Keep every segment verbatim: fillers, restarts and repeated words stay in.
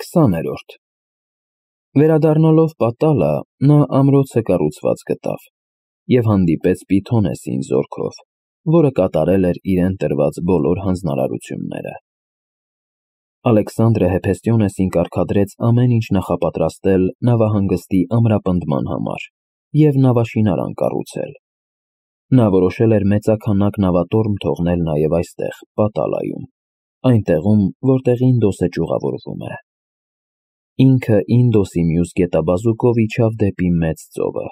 Քսաներորդ Վերադառնալով պատալա, նա ամրոցը կառուցված գտավ և հանդիպեց Պիթոնեսին զորքով, որը կատարել էր իրեն տրված բոլոր հանձնարարությունները։ Ալեքսանդրը Հեփեստիոնեսին կարգադրեց ամեն ինչ նախապատրաստել նավահանգստի ամրապնդման համար և նավաշինարան կառուցել։ Նա որոշել էր մեծաքանակ նավատորմ թողնել նաև այստեղ, Պատալայում, այնտեղում, որտեղ Ինդոսը ճյուղավորվում է։ Ինքը Ինդոսի մյուս գետաբազուկով իջավ դեպի Մեծ ծովը,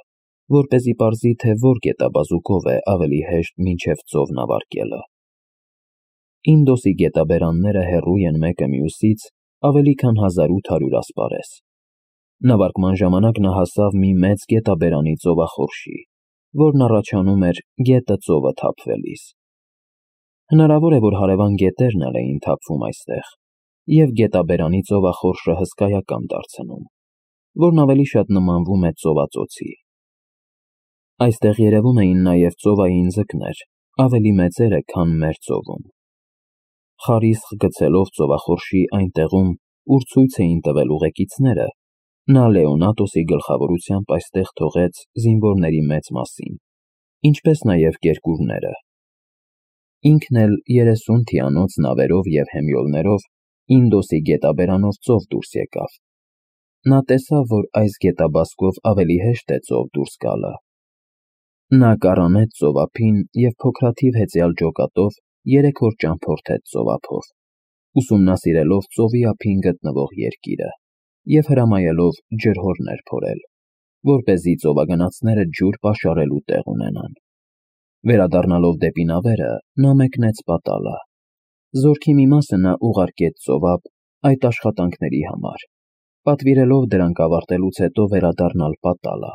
որպեսզի պարզի, թե որ գետաբազուկով է ավելի հեշտ մինչև ծով նավարկելը։ Ինդոսի գետաբերանները հեռու են մեկը մյուսից ավելի քան հազար ութ հարյուր ասպարես։ Նավարկման ժամանակ նա հասավ մի մեծ գետաբերանի ծովախորշի, որն առաջանում էր գետը ծովը թափվելիս։ Հնարավոր է, որ հարևան գետերն էլ էին թափվում այստեղ, և գետաբերանի ծովախորշը հսկայական դարձնում, որն ավելի շատ նմանվում է ծովածոցի։ Այստեղ երևում էին նաև ծովային ձկներ, ավելի մեծերը, քան մեր ծովում։ Խարիսխ գցելով ծովախորշի այն տեղում, ուր ցույց էին տվել ուղեկիցները, նա Լեոնատոսի գլխավորությամբ այստեղ թողեց զինվորների մեծ մասին, ինչպես նաև կերկուրները։ Ինքն էլ երեսուն թիանոց նավերով և հեմյոլներով Ինդոսի գետաբերանով ծով դուրս եկավ։ Նա տեսավ, որ այս գետաբազկով ավելի հեշտ է ծով դուրս գալը։ Նա կառանեց ծովափին և փոքրաթիվ հեծյալ ջոկատով երեք օր ճամփորդեց ծովափով, ուսումնասիրելով ծովի ափին գտնվող երկիրը և հրամայելով ջրհորներ փորել, որպեսզի ծովագնացները ջուր պաշարելու տեղ ունենան։ Վերադառնալով դեպի նավերը, նա մեկնեց Պատալա։ Զորքի մի մասը նա ուղարկեց ծովափ այդ աշխատանքների համար, պատվիրելով դրանք ավարտելուց հետո վերադառնալ Պատալա։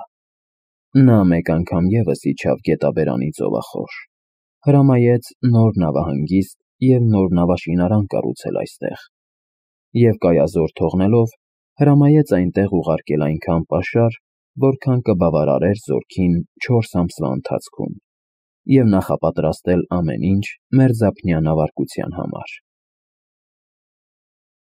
Նա մեկ անգամ ևս իջավ գետաբերանի ծովախորշ, հրամայեց նոր նավահանգիստ և նոր նավաշինարան կառուցել այստեղ և կայազոր թողնելով, հրամայեց այնտեղ ուղարկել այնքան պաշար, որքան կբավարարեր զորքին չորս ամսվա ընթացքում, և նախապատրաստել ամեն ինչ մերձափնյա նավարկության համար։